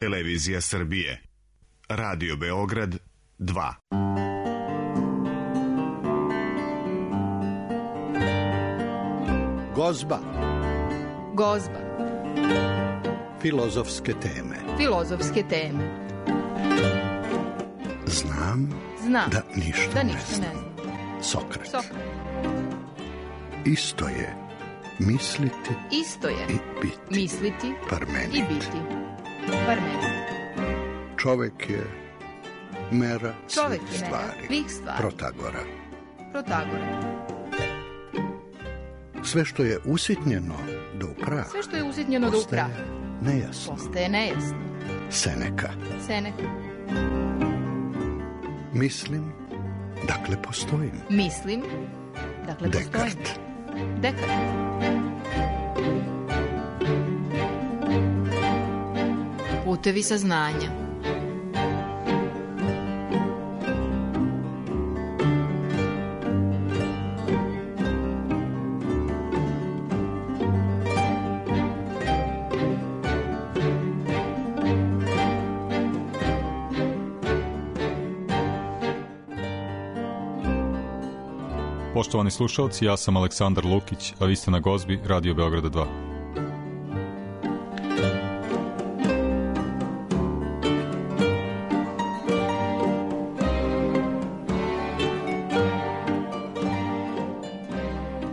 Televizija Srbije. Radio Beograd 2. Gozba. Gozba. Filozofske teme. Filozofske teme. Znam da ništa ne znam. Sokrat. Isto je misliti i biti. Misliti Parmenid. i biti. Parmenid. Čovek je mera Čovek svih je mera stvari. svih stvari. Protagora. Sve što je usitnjeno do prah. Sve što je usitnjeno do prah. Postaje nejasno. Seneka. Mislim, dakle postojim. Dekart. Putevi saznanja. Poštovani slušalci, ja sam Aleksandar Lukić, a vi ste na Gozbi Radio Beograda 2.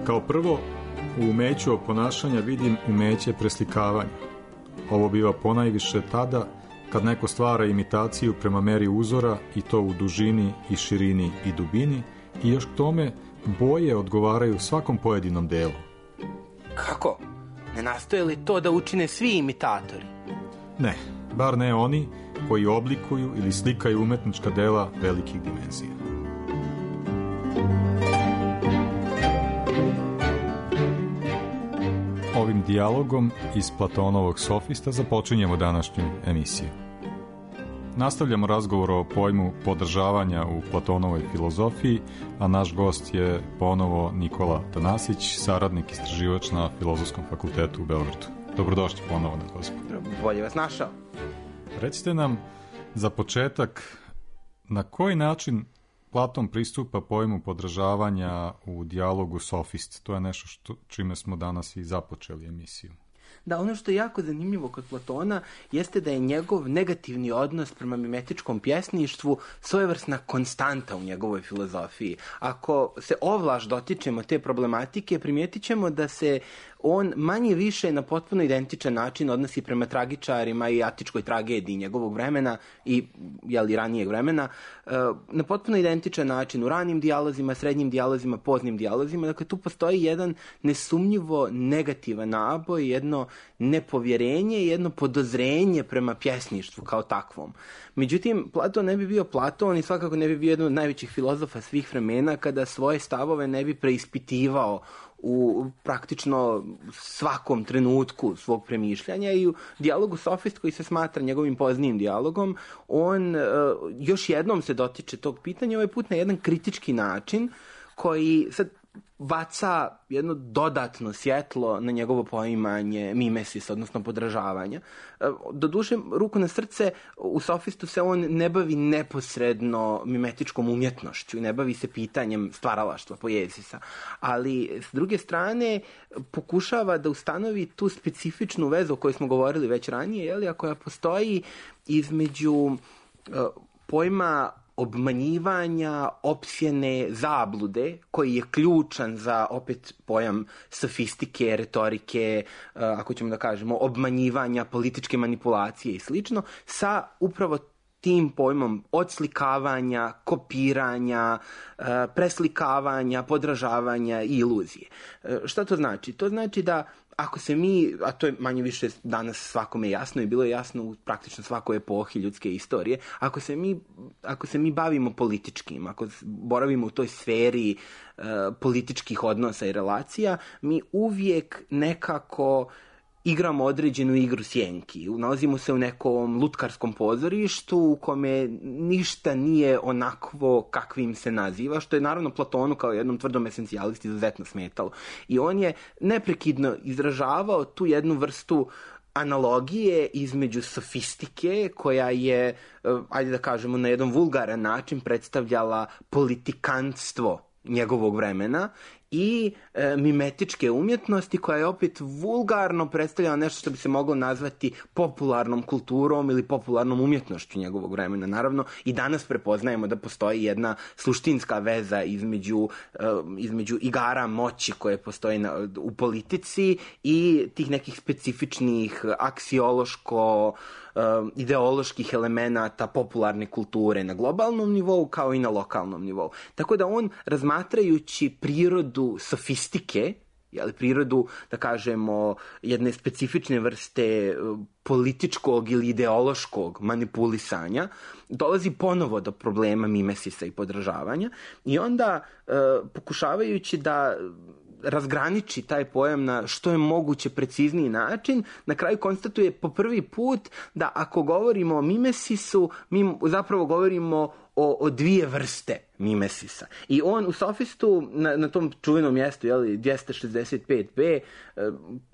Kao prvo, u umeću oponašanja vidim umeće preslikavanja. Ovo biva ponajviše tada kad neko stvara imitaciju prema meri uzora i to u dužini i širini i dubini i još k tome boje odgovaraju svakom pojedinom delu. Kako? Ne nastoje li to da učine svi imitatori? Ne, bar ne oni koji oblikuju ili slikaju umetnička dela velikih dimenzija. Ovim dijalogom iz Platonovog Sofista započinjemo današnju emisiju. Nastavljamo razgovor o pojmu podržavanja u Platonovoj filozofiji, a naš gost je ponovo Nikola Tanasić, saradnik istraživač na Filozofskom fakultetu u Beogradu. Dobrodošli ponovo na Gozbu. Bolje vas našao. Recite nam za početak na koji način Platon pristupa pojmu podržavanja u dijalogu Sofist. To je nešto čime smo danas i započeli emisiju. Da, ono što je jako zanimljivo kod Platona jeste da je njegov negativni odnos prema mimetičkom pjesništvu svojevrsna konstanta u njegovoj filozofiji. Ako se ovlaš dotičemo te problematike, primijetit ćemo da se on manje više na potpuno identičan način odnosi prema tragičarima i atičkoj tragediji njegovog vremena i ranijeg vremena, na potpuno identičan način u ranim dijalozima, srednjim dijalozima, poznim dijalozima. Dakle, tu postoji jedan nesumnjivo negativan naboj, jedno nepovjerenje, jedno podozrenje prema pjesništvu kao takvom. Međutim, Platon ne bi bio Platon i svakako ne bi bio jedan od najvećih filozofa svih vremena kada svoje stavove ne bi preispitivao u praktično svakom trenutku svog premišljanja i u dijalogu Sofist, koji se smatra njegovim poznijim dijalogom, on još jednom se dotiče tog pitanja, ovaj put na jedan kritički način koji sad baca jedno dodatno svjetlo na njegovo poimanje mimesis, odnosno podržavanja. Doduše, ruku na srce, u Sofistu se on ne bavi neposredno mimetičkom umjetnošću, ne bavi se pitanjem stvaralaštva poezisa, ali s druge strane pokušava da ustanovi tu specifičnu vezu o kojoj smo govorili već ranije, a koja postoji između pojma obmanjivanja, opsjene, zablude, koji je ključan za opet pojam sofistike, retorike, ako ćemo da kažemo, obmanjivanja, političke manipulacije i slično, sa upravo tim pojmom odslikavanja, kopiranja, preslikavanja, podražavanja i iluzije. Šta to znači? To znači da ako se mi, a to je manje više danas svakome jasno i bilo je jasno u praktično svakoj epohi ljudske istorije, ako se mi bavimo političkim, ako boravimo u toj sferi političkih odnosa i relacija, mi uvijek nekako igramo određenu igru sjenki. Nalazimo se u nekom lutkarskom pozorištu u kome ništa nije onakvo kakvim se naziva, što je naravno Platonu kao jednom tvrdom esencijalisti izuzetno smetalo. I on je neprekidno izražavao tu jednu vrstu analogije između sofistike, koja je, ajde da kažemo, na jedan vulgaran način predstavljala politikantstvo njegovog vremena, i mimetičke umjetnosti, koja je opet vulgarno predstavljala nešto što bi se moglo nazvati popularnom kulturom ili popularnom umjetnošću njegovog vremena. Naravno, i danas prepoznajemo da postoji jedna suštinska veza između igara moći koje postoje u politici i tih nekih specifičnih aksiološko ideoloških elemenata popularne kulture na globalnom nivou kao i na lokalnom nivou. Tako da on, razmatrajući prirodu sofistike, prirodu, da kažemo, jedne specifične vrste političkog ili ideološkog manipulisanja, dolazi ponovo do problema mimesisa i podržavanja, i onda pokušavajući da razgraniči taj pojam na što je moguće precizniji način, na kraju konstatuje po prvi put da ako govorimo o mimesisu, mi zapravo govorimo o dvije vrste mimesisa. I on u Sofistu, na tom čuvenom mjestu, 265b,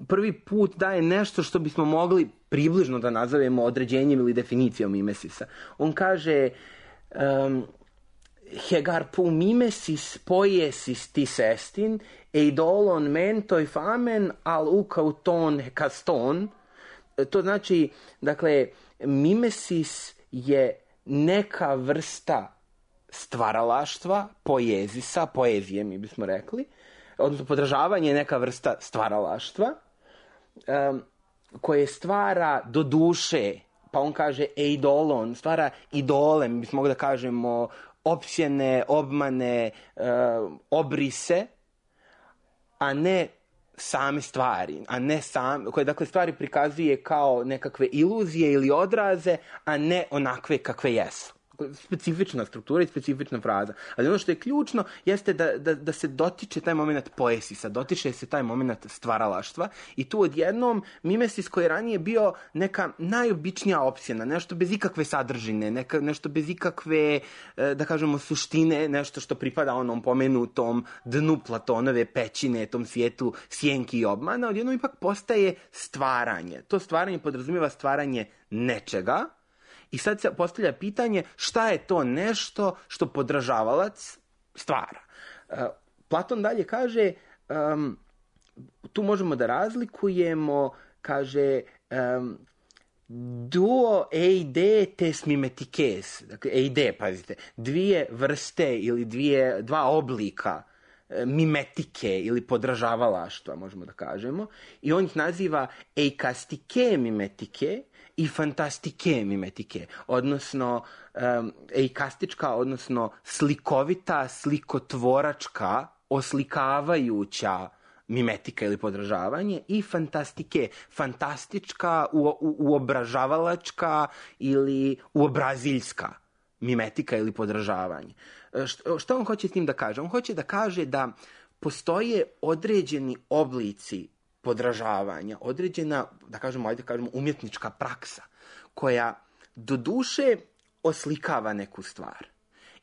prvi put daje nešto što bismo mogli približno da nazovemo određenjem ili definicijom mimesisa. On kaže Hegar pu mimesis poiesis tis estin, eidolon mentoi famen al ukauton hekaston. To znači, dakle, mimesis je neka vrsta stvaralaštva, poezije mi bismo rekli, odnosno podržavanje je neka vrsta stvaralaštva, koje stvara do duše, pa on kaže eidolon, stvara idole, mi bismo mogli da kažemo opsjene, obmane, obrise, a ne same stvari, koje dakle stvari prikazuje kao nekakve iluzije ili odraze, a ne onakve kakve jesu. Specifična struktura i specifična fraza. Ali ono što je ključno jeste da se dotiče taj moment poesisa, dotiče se taj moment stvaralaštva, i tu odjednom mimesis koji je ranije bio neka najobičnija opsjena, nešto bez ikakve sadržine, nešto bez ikakve, da kažemo, suštine, nešto što pripada onom pomenutom dnu Platonove pećine, tom svijetu sjenki i obmana, odjednom ipak postaje stvaranje. To stvaranje podrazumijeva stvaranje nečega. I sad se postavlja pitanje šta je to nešto što podržavalac stvara. Platon dalje kaže, tu možemo da razlikujemo, kaže, duo eide tes mimetikes, dakle eide, pazite, dvije vrste ili dva oblika mimetike ili podržavalaštva, možemo da kažemo, i on ih naziva eikastike mimetike i fantastike mimetike, odnosno eikastička, odnosno slikovita, slikotvoračka, oslikavajuća mimetika ili podržavanje, i fantastike, fantastička, uobražavalačka ili uobraziljska mimetika ili podržavanje. Što on hoće s tim da kaže? On hoće da kaže da postoje određeni oblici podržavanja, određena, da kažemo, umjetnička praksa, koja do duše oslikava neku stvar.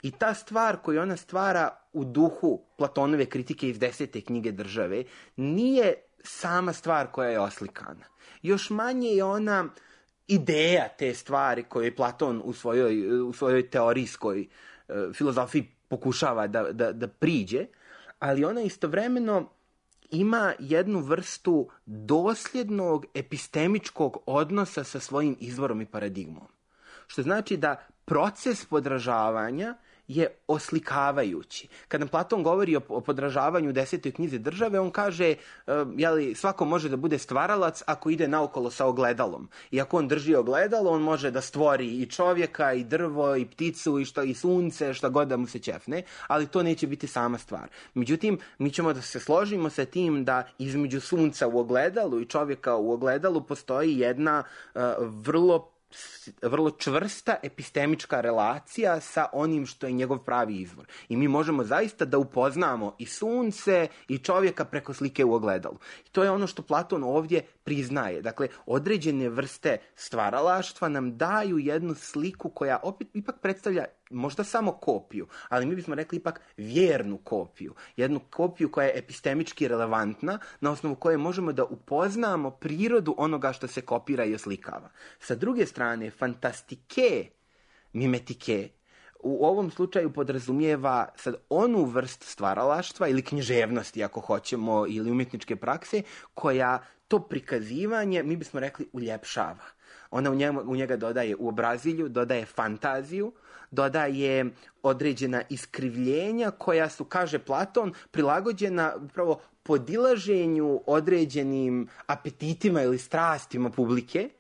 I ta stvar koju ona stvara u duhu Platonove kritike iz 10. knjige Države nije sama stvar koja je oslikana. Još manje je ona ideja te stvari koju je Platon u svojoj teorijskoj filozofiji pokušava da priđe, ali ona istovremeno ima jednu vrstu dosljednog epistemičkog odnosa sa svojim izvorom i paradigmom. Što znači da proces podržavanja je oslikavajući. Kad nam Platon govori o podržavanju u 10. knjizi Države, on kaže, svako može da bude stvaralac ako ide naokolo sa ogledalom. I ako on drži ogledalo, on može da stvori i čovjeka, i drvo, i pticu, i sunce, šta god da mu se ćefne, ali to neće biti sama stvar. Međutim, mi ćemo da se složimo sa tim da između sunca u ogledalu i čovjeka u ogledalu postoji jedna vrlo čvrsta epistemička relacija sa onim što je njegov pravi izvor. I mi možemo zaista da upoznamo i sunce i čovjeka preko slike u ogledalu. I to je ono što Platon ovdje priznaje. Dakle, određene vrste stvaralaštva nam daju jednu sliku koja opet ipak predstavlja možda samo kopiju, ali mi bismo rekli ipak vjernu kopiju. Jednu kopiju koja je epistemički relevantna, na osnovu koje možemo da upoznamo prirodu onoga što se kopira i oslikava. Sa druge strane, fantastike, mimetike, u ovom slučaju podrazumijeva sad onu vrst stvaralaštva ili književnosti, ako hoćemo, ili umjetničke prakse, koja to prikazivanje, mi bismo rekli, uljepšava. Ona u njega dodaje uobrazilju, dodaje fantaziju, dodaje određena iskrivljenja koja su, kaže Platon, prilagođena upravo podilaženju određenim apetitima ili strastima publike.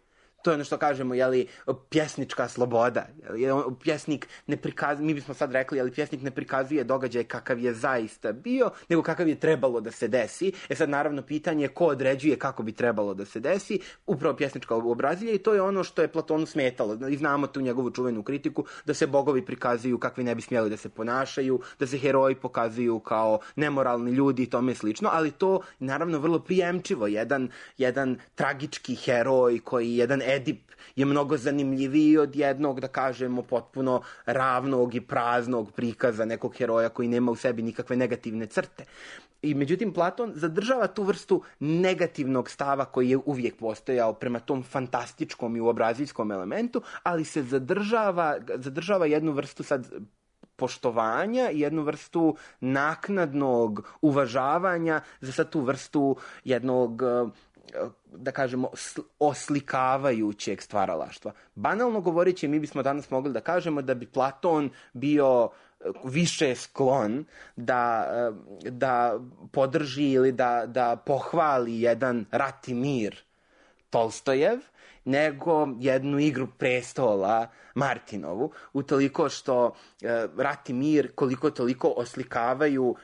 To je ono što kažemo, pjesnička sloboda. Pjesnik ne prikazuje, mi bismo sad rekli, pjesnik ne prikazuje događaj kakav je zaista bio, nego kakav je trebalo da se desi. Sad naravno pitanje je ko određuje kako bi trebalo da se desi, upravo pjesnička obrazilja, i to je ono što je Platonu smetalo. I znamo tu njegovu čuvenu kritiku da se bogovi prikazuju kakvi ne bi smjeli da se ponašaju, da se heroji pokazuju kao nemoralni ljudi i tome slično, ali to naravno vrlo prijemčivo. Jedan tragički heroj koji jedan Edip je mnogo zanimljiviji od jednog, da kažemo, potpuno ravnog i praznog prikaza nekog heroja koji nema u sebi nikakve negativne crte. I međutim, Platon zadržava tu vrstu negativnog stava koji je uvijek postojao prema tom fantastičkom i uobraziljskom elementu, ali se zadržava jednu vrstu sad poštovanja i jednu vrstu naknadnog uvažavanja za sad tu vrstu jednog, da kažemo, oslikavajućeg stvaralaštva. Banalno govoreći, mi bismo danas mogli da kažemo da bi Platon bio više sklon da podrži ili da pohvali jedan Rat i mir Tolstojev, nego jednu Igru prestola Martinovu, utoliko što Rat i mir koliko toliko oslikavaju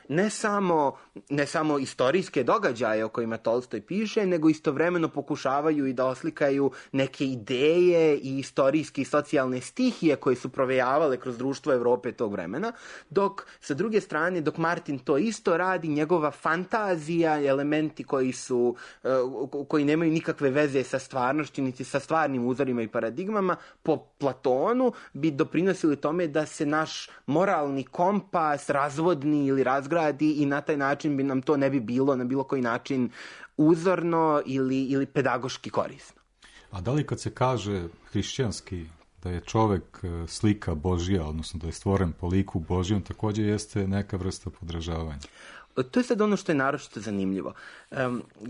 ne samo istorijske događaje o kojima Tolstoj piše, nego istovremeno pokušavaju i da oslikaju neke ideje i istorijske i socijalne stihije koje su provejavale kroz društvo Evrope tog vremena, dok sa druge strane, dok Martin to isto radi, njegova fantazija, elementi koji nemaju nikakve veze sa stvarnošću niti sa stvarnim uzorima i paradigmama, po Platonu bi doprinosili tome da se naš moralni kompas razvodni ili razgradi i na taj način bi nam to ne bi bilo na bilo koji način uzorno ili pedagoški korisno. A da li kad se kaže hrišćanski da je čovek slika Božja, odnosno da je stvoren po liku Božjem, također jeste neka vrsta podražavanja? To je sad ono što je naročito zanimljivo.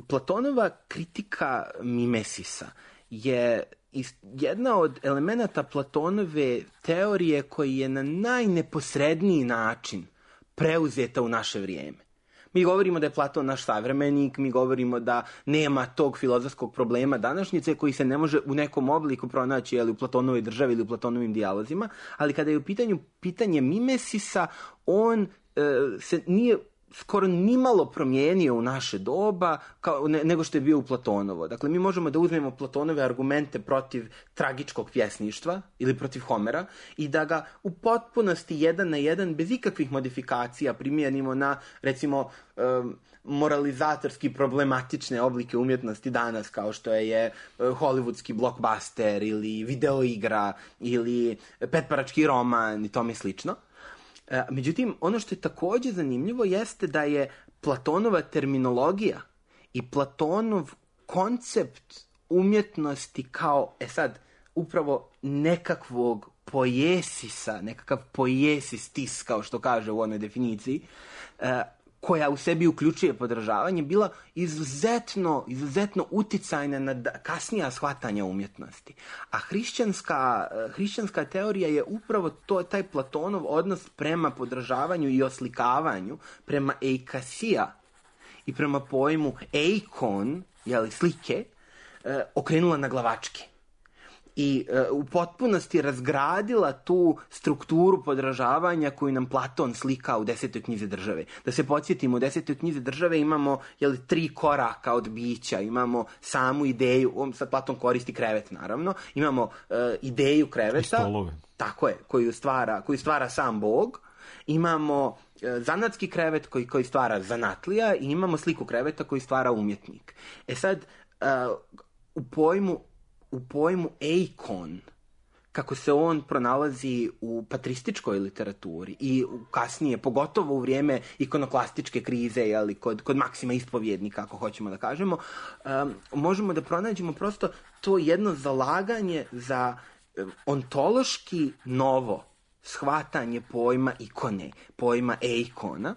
Platonova kritika mimesisa je jedna od elemenata Platonove teorije koji je na najneposredniji način preuzeta u naše vrijeme. Mi govorimo da je Platon naš savremenik, mi govorimo da nema tog filozofskog problema današnjice koji se ne može u nekom obliku pronaći u Platonovoj državi ili u Platonovim dijalozima, ali kada je u pitanju pitanje mimesisa, on se nije skoro nimalo promijenio u naše doba nego što je bio u Platonovo. Dakle, mi možemo da uzmemo Platonove argumente protiv tragičkog pjesništva ili protiv Homera i da ga u potpunosti jedan na jedan, bez ikakvih modifikacija, primijenimo na, recimo, moralizatorski problematične oblike umjetnosti danas, kao što je hollywoodski blockbuster ili videoigra ili petparački roman i tome slično. Međutim, ono što je također zanimljivo jeste da je Platonova terminologija i Platonov koncept umjetnosti kao, upravo nekakvog pojesisa, nekakav pojesistis, kao što kaže u onoj definiciji, koja u sebi uključuje podražavanje, bila izuzetno uticajna na kasnija shvatanja umjetnosti. A hrišćanska teorija je upravo taj Platonov odnos prema podražavanju i oslikavanju, prema eikasija i prema pojmu eikon, slike, okrenula na glavačke. I u potpunosti razgradila tu strukturu podražavanja koju nam Platon slika u 10. knjizi države. Da se podsjetimo, u 10. knjizi države imamo 3 koraka od bića, imamo samu ideju, sad Platon koristi krevet naravno, imamo ideju kreveta, tako je, koju stvara sam Bog, imamo zanatski krevet koji stvara zanatlija i imamo sliku kreveta koji stvara umjetnik. U pojmu eikon, kako se on pronalazi u patrističkoj literaturi i kasnije, pogotovo u vrijeme ikonoklastičke krize, jeli, kod Maksima Ispovjednika, ako hoćemo da kažemo, možemo da pronađemo prosto to jedno zalaganje za ontološki novo shvatanje pojma ikone, pojma eikona,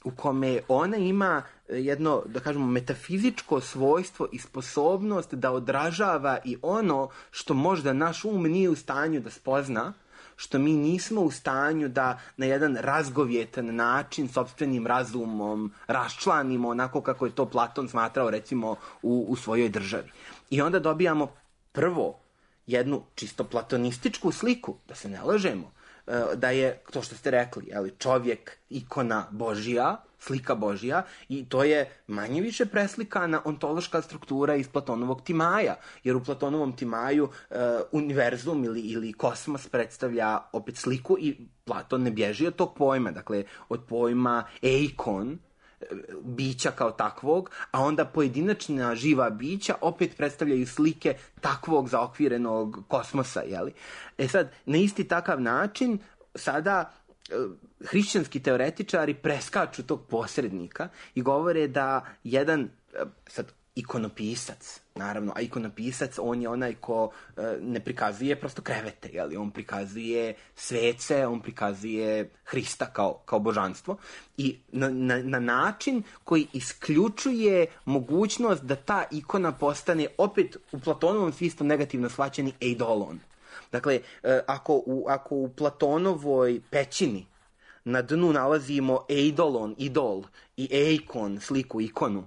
u kome ona ima jedno, da kažemo, metafizičko svojstvo i sposobnost da odražava i ono što možda naš um nije u stanju da spozna, što mi nismo u stanju da na jedan razgovjetan način sopstvenim razumom raščlanimo onako kako je to Platon smatrao recimo u svojoj državi. I onda dobijamo prvo jednu čisto platonističku sliku, da se ne lažemo, da je, to što ste rekli, jeli, čovjek ikona Božija, slika Božija, i to je manje više preslikana ontološka struktura iz Platonovog Timaja, jer u Platonovom Timaju univerzum ili kosmos predstavlja opet sliku i Platon ne bježi od tog pojma, dakle od pojma eikon, bića kao takvog, a onda pojedinačna živa bića opet predstavljaju slike takvog zaokvirenog kosmosa, jeli? Sad, na isti takav način, sada hrišćanski teoretičari preskaču tog posrednika i govore da jedan, sad, ikonopisac, naravno, a ikonopisac, on je onaj ko ne prikazuje prosto krevete, jeli? On prikazuje svece, on prikazuje Hrista kao božanstvo i na način koji isključuje mogućnost da ta ikona postane opet u Platonovom smislu negativno shvaćeni eidolon. Dakle, ako u Platonovoj pećini na dnu nalazimo eidolon, idol, i eikon, sliku, ikonu,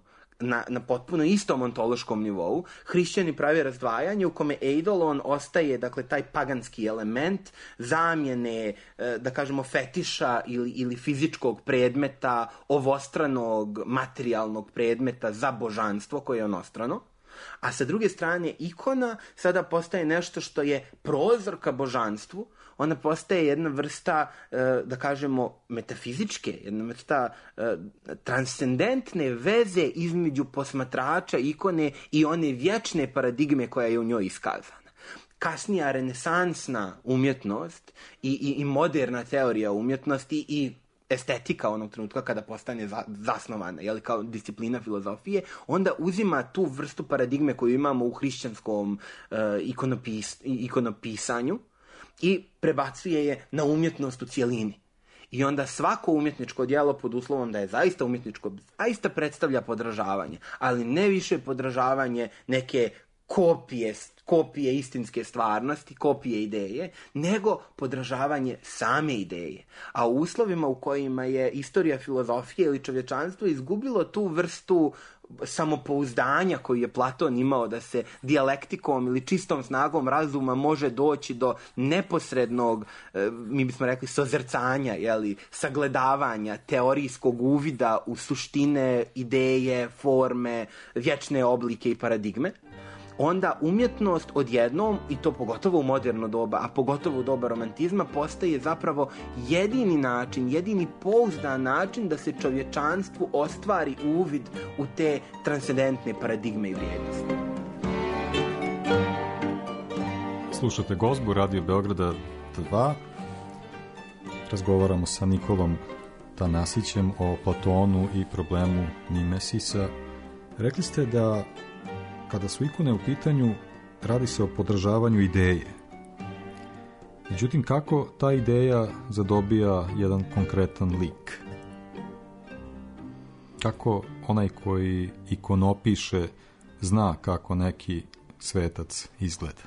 na potpuno istom ontološkom nivou, hrišćani prave razdvajanje u kome eidolon ostaje, dakle, taj paganski element zamjene, da kažemo, fetiša ili fizičkog predmeta, ovostranog materijalnog predmeta za božanstvo koje je onostrano. A sa druge strane, ikona sada postaje nešto što je prozor ka božanstvu, ona postaje jedna vrsta, da kažemo, metafizičke, jedna vrsta transcendentne veze između posmatrača ikone i one vječne paradigme koja je u njoj iskazana. Kasnija renesansna umjetnost i moderna teorija umjetnosti i estetika onog trenutka kada postane zasnovana, jeli, kao disciplina filozofije, onda uzima tu vrstu paradigme koju imamo u hrišćanskom ikonopisanju i prebacuje je na umjetnost u cijelini. I onda svako umjetničko djelo, pod uslovom da je zaista umjetničko, zaista predstavlja podražavanje, ali ne više podražavanje neke kopije istinske stvarnosti, kopije ideje, nego podražavanje same ideje. A u uslovima u kojima je istorija filozofije ili čovječanstvo izgubilo tu vrstu samopouzdanja koju je Platon imao, da se dijalektikom ili čistom snagom razuma može doći do neposrednog, mi bismo rekli, sozrcanja, jeli, sagledavanja, teorijskog uvida u suštine, ideje, forme, vječne oblike i paradigme, onda umjetnost odjednom, i to pogotovo u moderno doba, a pogotovo u doba romantizma, postaje zapravo jedini način, jedini pouzdan način da se čovječanstvu ostvari uvid u te transcendentne paradigme i vrijednosti. Slušate Gozbu Radio Beograda 2. Razgovaramo sa Nikolom Tanasićem o Platonu i problemu Mimesisa. Rekli ste da kada su ikone u pitanju, radi se o podržavanju ideje. Međutim, kako ta ideja zadobija jedan konkretan lik? Kako onaj koji ikonopiše zna kako neki svetac izgleda?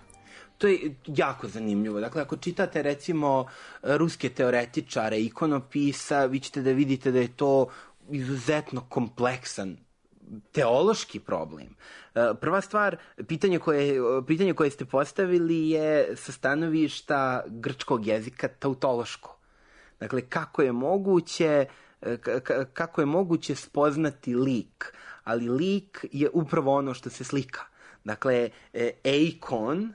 To je jako zanimljivo. Dakle, ako čitate, recimo, ruske teoretičare, ikonopisa, vi ćete da vidite da je to izuzetno kompleksan teološki problem. Prva stvar, pitanje koje ste postavili je sa stanovišta grčkog jezika tautološko. Dakle, kako je moguće spoznati lik, ali lik je upravo ono što se slika. Dakle, eikon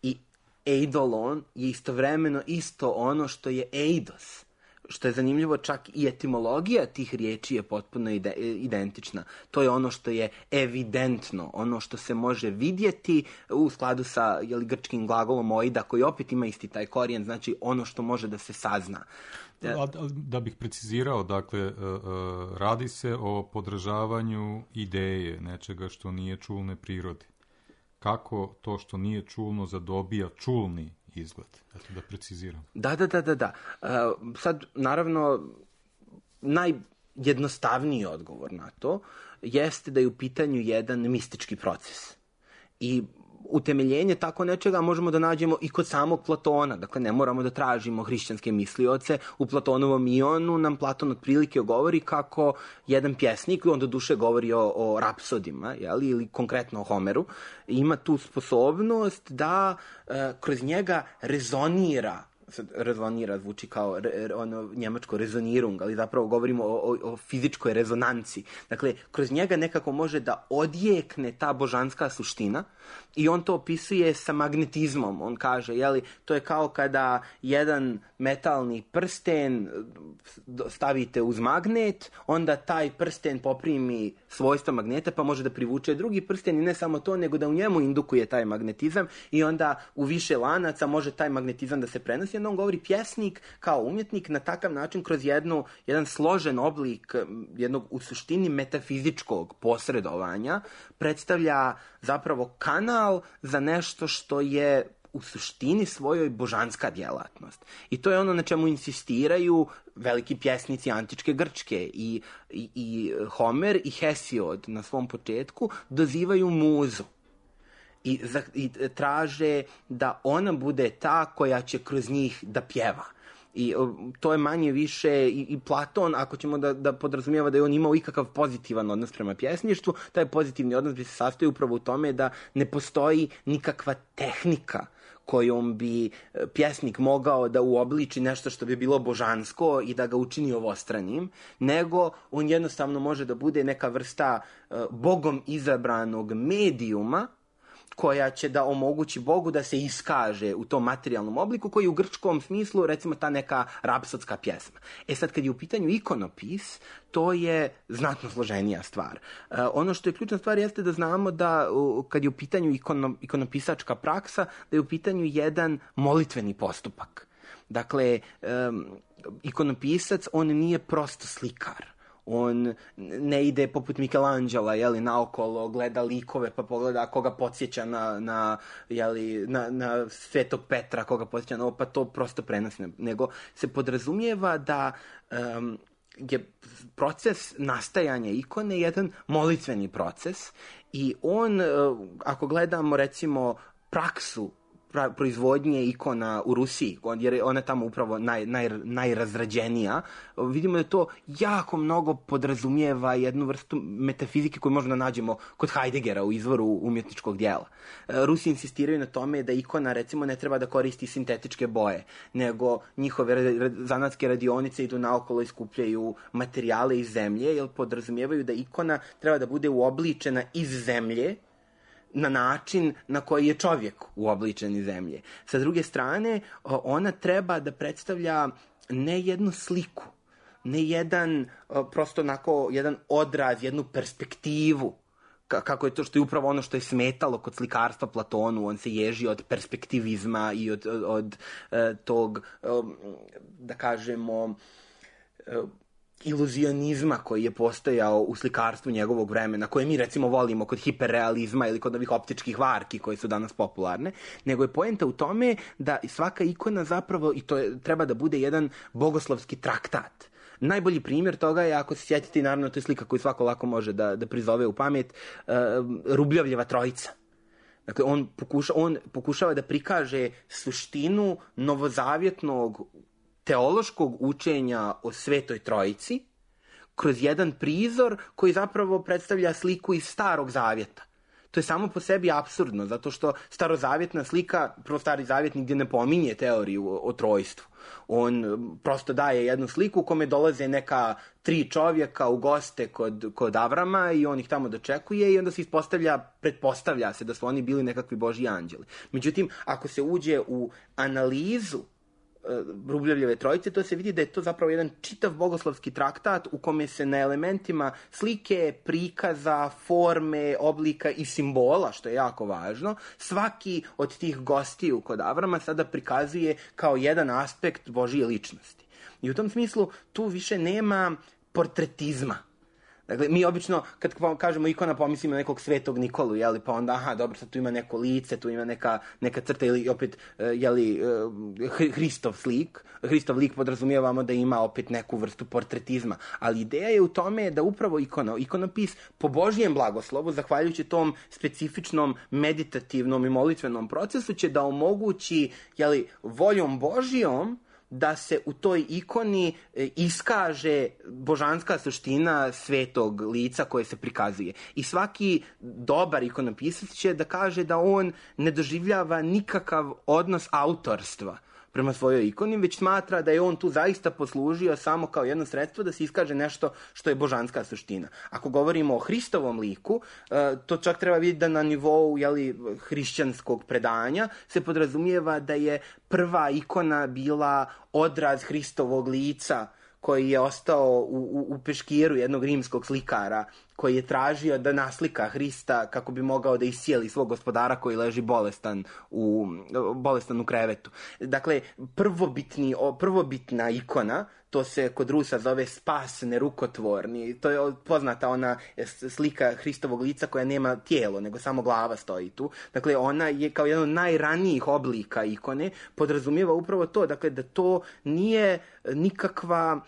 i eidolon je istovremeno isto ono što je eidos. što je zanimljivo, čak i etimologija tih riječi je potpuno identična. To je ono što je evidentno, ono što se može vidjeti u skladu sa grčkim glagolom oida, koji opet ima isti taj korijen, znači ono što može da se sazna. Da bih precizirao, dakle, radi se o podržavanju ideje, nečega što nije čulne prirode. Kako to što nije čulno zadobija čulni izgled? Eto, da preciziram. Da. Sad, naravno, najjednostavniji odgovor na to jeste da je u pitanju jedan mistički proces. I utemeljenje tako nečega možemo da nađemo i kod samog Platona. Dakle, ne moramo da tražimo hrišćanske mislioce. U Platonovom Ionu nam Platon otprilike govori kako jedan pjesnik, on do duše govori o rapsodima, ili konkretno o Homeru, ima tu sposobnost da kroz njega rezonira. Rezonira zvuči kao njemačko rezonirung, ali zapravo govorimo o fizičkoj rezonanci. Dakle, kroz njega nekako može da odjekne ta božanska suština i on to opisuje sa magnetizmom. On kaže, to je kao kada jedan metalni prsten stavite uz magnet, onda taj prsten poprimi svojstva magneta, pa može da privuče drugi prsten i ne samo to, nego da u njemu indukuje taj magnetizam i onda u više lanaca može taj magnetizam da se prenosi. Onda on govori, pjesnik kao umjetnik na takav način kroz jedan složen oblik jednog u suštini metafizičkog posredovanja predstavlja zapravo kanal za nešto što je u suštini svojoj božanska djelatnost. I to je ono na čemu insistiraju veliki pjesnici antičke Grčke. I Homer i Hesiod na svom početku dozivaju muzu. I traže da ona bude ta koja će kroz njih da pjeva. I to je manje više i Platon, ako ćemo da podrazumijeva da je on imao ikakav pozitivan odnos prema pjesništvu, taj pozitivni odnos bi se sastoji upravo u tome da ne postoji nikakva tehnika kojom bi pjesnik mogao da uobliči nešto što bi bilo božansko i da ga učini ovostranim, nego on jednostavno može da bude neka vrsta Bogom izabranog medijuma koja će da omogući Bogu da se iskaže u tom materijalnom obliku koji je u grčkom smislu, recimo, ta neka rapsodska pjesma. Sad, kad je u pitanju ikonopis, to je znatno složenija stvar. Ono što je ključna stvar jeste da znamo da kad je u pitanju ikonopisačka praksa, da je u pitanju jedan molitveni postupak. Dakle, ikonopisac, on nije prosto slikar. On ne ide poput Michelangela, naokolo, gleda likove pa pogleda koga podsjeća na Svetog Petra, koga podsjeća na ovo, pa to prosto prenosi. Nego se podrazumijeva da je proces nastajanja ikone jedan molitveni proces i on, ako gledamo recimo praksu proizvodnje ikona u Rusiji, jer je ona tamo upravo najrazrađenija, vidimo da to jako mnogo podrazumijeva jednu vrstu metafizike koju možemo da nađemo kod Heideggera u izvoru umjetničkog dijela. Rusi insistiraju na tome da ikona, recimo, ne treba da koristi sintetičke boje, nego njihove zanatske radionice idu naokolo i skupljaju materijale iz zemlje, jer podrazumijevaju da ikona treba da bude uobličena iz zemlje na način na koji je čovjek uobličen iz zemlje. Sa druge strane, ona treba da predstavlja ne jednu sliku, ne jedan, prosto onako, jedan odraz, jednu perspektivu, kako je to što je upravo ono što je smetalo kod slikarstva Platonu. On se ježi od perspektivizma i od tog, da kažemo, iluzionizma koji je postojao u slikarstvu njegovog vremena, koje mi recimo volimo kod hiperrealizma ili kod ovih optičkih varki koje su danas popularne, nego je poenta u tome da svaka ikona zapravo, i to treba da bude jedan bogoslovski traktat. Najbolji primjer toga je, ako se sjetite, i naravno to je slika koju svako lako može da prizove u pamet, Rubljovljeva trojica. Dakle, on pokušava da prikaže suštinu novozavjetnog teološkog učenja o Svetoj Trojici kroz jedan prizor koji zapravo predstavlja sliku iz Starog Zavjeta. To je samo po sebi apsurdno, zato što starozavjetna slika, prvo Stari Zavjet nigdje ne pominje teoriju o trojstvu. On prosto daje jednu sliku u kome dolaze neka 3 čovjeka u goste kod Avrama i on ih tamo dočekuje i onda se pretpostavlja se da su oni bili nekakvi božji anđeli. Međutim, ako se uđe u analizu Rubljevljeve trojice, to se vidi da je to zapravo jedan čitav bogoslovski traktat u kome se na elementima slike, prikaza, forme, oblika i simbola, što je jako važno, svaki od tih gostiju kod Avrama sada prikazuje kao jedan aspekt Božije ličnosti. I u tom smislu tu više nema portretizma. Dakle, mi obično, kad kažemo ikona, pomislimo na nekog Svetog Nikolu, jeli, pa onda, aha, dobro, sad tu ima neko lice, tu ima neka crta, ili opet, jeli, Hristov lik podrazumijevamo da ima opet neku vrstu portretizma. Ali ideja je u tome da upravo ikonopis po Božijem blagoslovu, zahvaljujući tom specifičnom meditativnom i molitvenom procesu, će da omogući, jeli, voljom Božijom, da se u toj ikoni iskaže božanska suština svetog lica koje se prikazuje. I svaki dobar ikonopisac će da kaže da on ne doživljava nikakav odnos autorstva prema svojoj ikoni, već smatra da je on tu zaista poslužio samo kao jedno sredstvo da se iskaže nešto što je božanska suština. Ako govorimo o Hristovom liku, to čak treba vidjeti da na nivou, jeli, hrišćanskog predanja se podrazumijeva da je prva ikona bila odraz Hristovog lica koji je ostao u peškiru jednog rimskog slikara koji je tražio da naslika Hrista kako bi mogao da iscijeli svog gospodara koji leži bolestan u krevetu. Dakle, prvobitna ikona, to se kod Rusa zove spas nerukotvorni. To je poznata ona slika Hristovog lica koja nema tijelo, nego samo glava stoji tu. Dakle, ona je kao jedan od najranijih oblika ikone, podrazumijeva upravo to, dakle, da to nije nikakva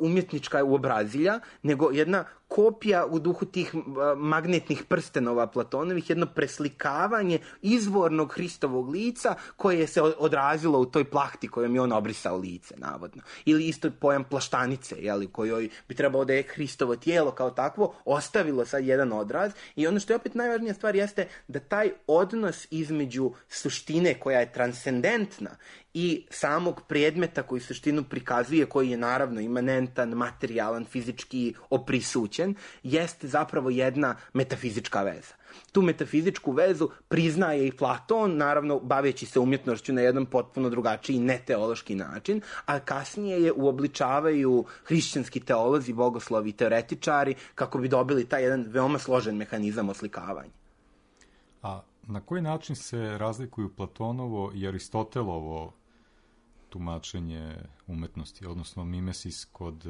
umjetnička uobrazilja, nego jedna kopija u duhu tih magnetnih prstenova Platonovih, jedno preslikavanje izvornog Hristovog lica koje se odrazilo u toj plahti kojom je on obrisao lice, navodno. Ili isto pojam plaštanice, jeli, kojoj bi trebalo da je Hristovo tijelo kao takvo ostavilo sad jedan odraz. I ono što je opet najvažnija stvar jeste da taj odnos između suštine koja je transcendentna i samog predmeta koji suštinu prikazuje, koji je naravno imanentan, materijalan, fizički oprisućen, jeste zapravo jedna metafizička veza. Tu metafizičku vezu priznaje i Platon, naravno baveći se umjetnošću na jedan potpuno drugačiji, neteološki način, a kasnije je uobličavaju hrišćanski teolozi, bogoslovi i teoretičari kako bi dobili taj jedan veoma složen mehanizam oslikavanja. A na koji način se razlikuju Platonovo i Aristotelovo tumačenje umetnosti, odnosno mimesis kod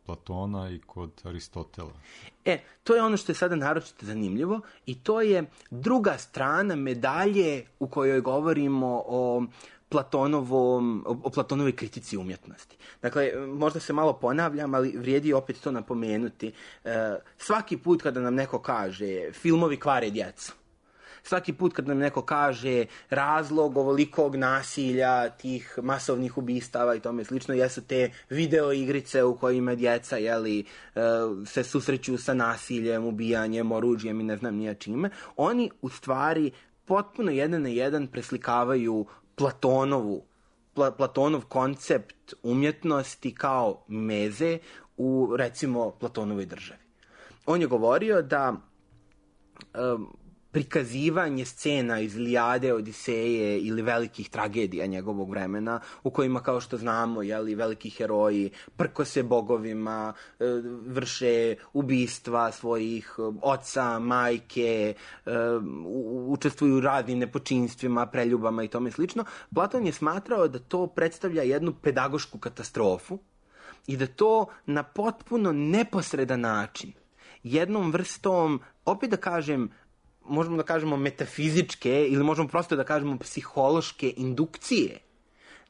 Platona i kod Aristotela? To je ono što je sada naročito zanimljivo i to je druga strana medalje u kojoj govorimo o Platonovoj kritici umjetnosti. Dakle, možda se malo ponavljam, ali vrijedi opet to napomenuti. Svaki put kada nam neko kaže filmovi kvare djecu, svaki put kad nam neko kaže razlog ovolikog nasilja, tih masovnih ubistava i tome slično, jesu te video igrice u kojima djeca, jeli, se susreću sa nasiljem, ubijanjem, oružjem i ne znam nija čime, oni u stvari potpuno jedan na jedan preslikavaju Platonov koncept umjetnosti kao meze u, recimo, Platonovoj državi. On je govorio da prikazivanje scena iz Ilijade, Odiseje ili velikih tragedija njegovog vremena, u kojima, kao što znamo, jeli, veliki heroji prkose bogovima, vrše ubistva svojih oca, majke, učestvuju u raznim nepočinstvima, preljubama i tome slično. Platon je smatrao da to predstavlja jednu pedagošku katastrofu i da to na potpuno neposredan način, jednom vrstom, opet da kažem, možemo da kažemo metafizičke ili možemo prosto da kažemo psihološke indukcije,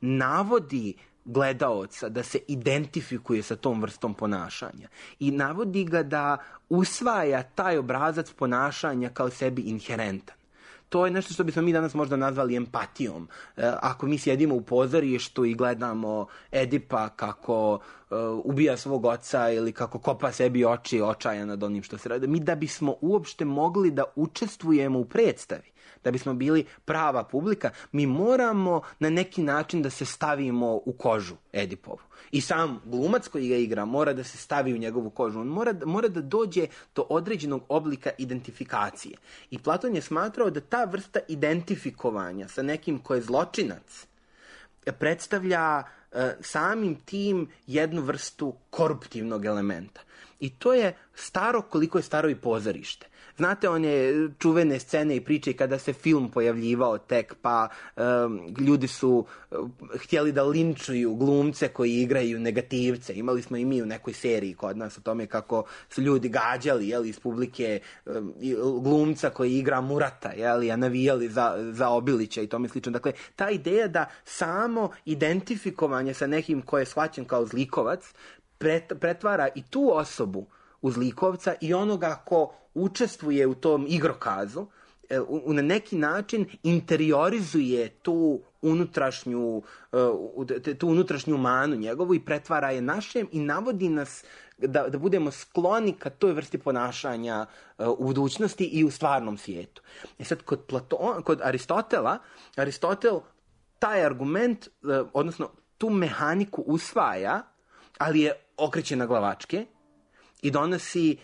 navodi gledaoca da se identifikuje sa tom vrstom ponašanja i navodi ga da usvaja taj obrazac ponašanja kao sebi inherentan. To je nešto što bismo mi danas možda nazvali empatijom. Ako mi sjedimo u pozorištu i gledamo Edipa kako ubija svog oca ili kako kopa sebi oči očaja nad onim što se radi, mi da bismo uopšte mogli da učestvujemo u predstavi, da bismo bili prava publika, mi moramo na neki način da se stavimo u kožu Edipovu. I sam glumac koji ga igra mora da se stavi u njegovu kožu. On mora da dođe do određenog oblika identifikacije. I Platon je smatrao da ta vrsta identifikovanja sa nekim ko je zločinac predstavlja samim tim jednu vrstu koruptivnog elementa. I to je staro koliko je staro i pozorište. Znate one čuvene scene i priče kada se film pojavljivao tek, pa ljudi su htjeli da linčuju glumce koji igraju negativce. Imali smo i mi u nekoj seriji kod nas o tome kako su ljudi gađali iz publike glumca koji igra Murata, a navijali za Obilića i tome slično. Dakle, ta ideja da samo identifikovanje sa nekim ko je shvaćen kao zlikovac pretvara i tu osobu u zlikovca i onoga ko učestvuje u tom igrokazu, na neki način interiorizuje tu unutrašnju manu njegovu i pretvara je našem i navodi nas da budemo skloni ka toj vrsti ponašanja u budućnosti i u stvarnom svijetu. Sad, kod Aristotel taj argument, odnosno tu mehaniku usvaja, ali je okreće na glavačke i donosi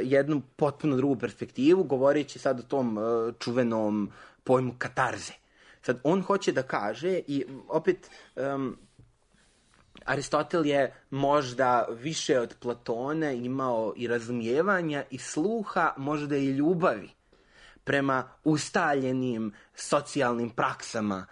jednu potpuno drugu perspektivu, govoreći sad o tom čuvenom pojmu katarze. Sad, on hoće da kaže, i opet Aristotel je možda više od Platona imao i razumijevanja i sluha, možda i ljubavi prema ustaljenim socijalnim praksama